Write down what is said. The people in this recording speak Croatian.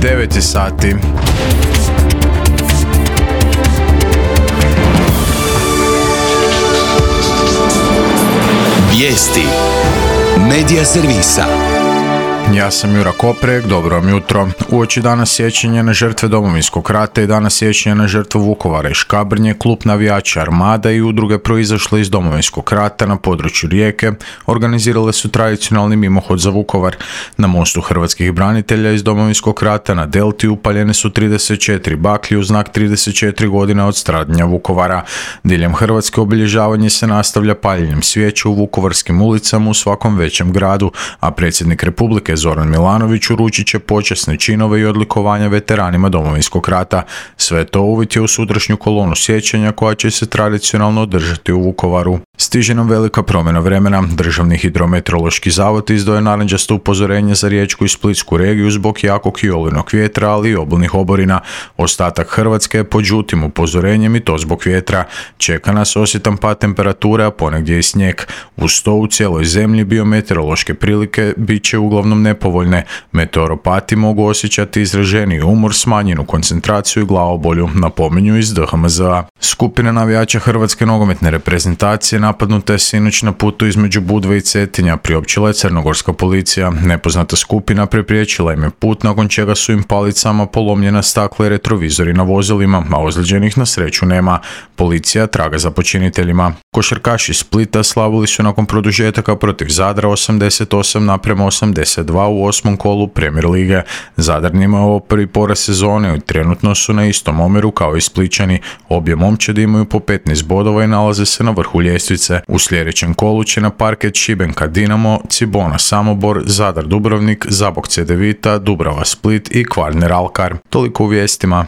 9 sati. Vijesti Medija servisa. Ja sam Jura Koprek, dobro vam jutro. Uoči dana sjećanja na žrtve Domovinskog rata i dana sjećanja na žrtvu Vukovara i Škabrnje, klub navijača Armada i udruge proizašle iz Domovinskog rata na području Rijeke organizirale su tradicionalni mimohod za Vukovar. Na mostu hrvatskih branitelja iz Domovinskog rata na Delti upaljene su 34 baklje u znak 34 godina od stradanja Vukovara. Diljem Hrvatske obilježavanje se nastavlja paljenjem svijeća u vukovarskim ulicama u svakom većem gradu, a predsjednik Republike Zoran Milanović uručit će počasne činove i odlikovanja veteranima Domovinskog rata. Sve to uvjetuje u sutrašnju kolonu sjećanja koja će se tradicionalno održati u Vukovaru. Stiže nam velika promjena vremena. Državni hidrometeorološki zavod izdao je narančasto upozorenje za Riječku i Splitsku regiju zbog jakog i olujnog vjetra, ali i obilnih oborina. Ostatak Hrvatske je pod žutim upozorenjem i to zbog vjetra. Čeka nas osjetan pad temperature, a ponegdje i snijeg. Uz to u cijeloj zemlji biometeorološke prilike bit će uglavnom nepovoljne. Meteoropati mogu osjećati izraženiji umor, smanjenu koncentraciju i glavobolju, napominju iz DHMZ-a. Skupina navijača Hrvatske nogometne reprezentacije napadnuta je sinoć na putu između Budve i Cetinja, priopćila je crnogorska policija. Nepoznata skupina prepriječila im je put, nakon čega su im palicama polomljena stakla i retrovizori na vozilima, a ozlijeđenih na sreću nema. Policija traga za počiniteljima. Košarkaši Splita slavili su nakon produžetaka protiv Zadra 88:82 u 8. kolu Premier lige. Zadar njima je ovo prvi poraz sezone i trenutno su na istom omjeru kao i Splićani. Obje momčadi imaju po 15 bodova i nalaze se na vrhu ljestvice. U sljedećem kolu će na parket Šibenka Dinamo, Cibona Samobor, Zadar Dubrovnik, Zabok Cedevita, Dubrava Split i Kvarner Alkar. Toliko u vijestima.